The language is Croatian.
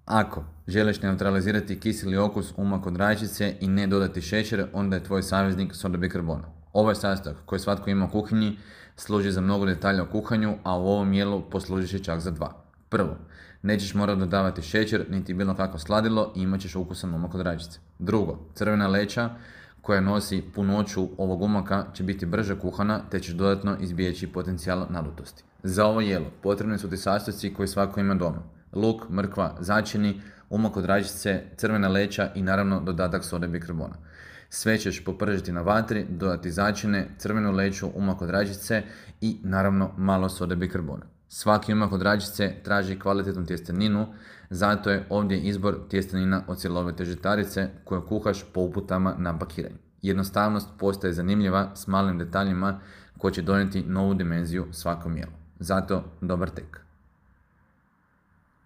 Ako želiš neutralizirati kiseli okus uma kod rajčice i ne dodati šećer, onda je tvoj saveznik soda bikarbona. Ovaj sastojak koji svatko ima u kuhinji služi za mnogo detalja u kuhanju, a u ovom jelu poslužiš je čak za 2. Prvo, nećeš morati dodavati šećer niti bilo kakvo sladilo i imat ćeš ukusan umak od rajčice. Drugo, crvena leća koja nosi punoću ovog umaka će biti brže kuhana te ćeš dodatno izbjeći potencijal nadutosti. Za ovo jelo potrebni su ti sastojci koji svako ima doma. Luk, mrkva, začini, umak od rajčice, crvena leća i naravno dodatak sode bikarbona. Sve ćeš popržiti na vatri, dodati začine, crvenu leću, umak od rajčice i naravno malo sode bikarbona. Svaki umak od rajčice traži kvalitetnu tjesteninu, zato je ovdje izbor tjestenina od cjelovite žitarice koju kuhaš po uputama na pakiranju. Jednostavnost postaje zanimljiva s malim detaljima koji će donijeti novu dimenziju svakom jelu. Zato dobar tek.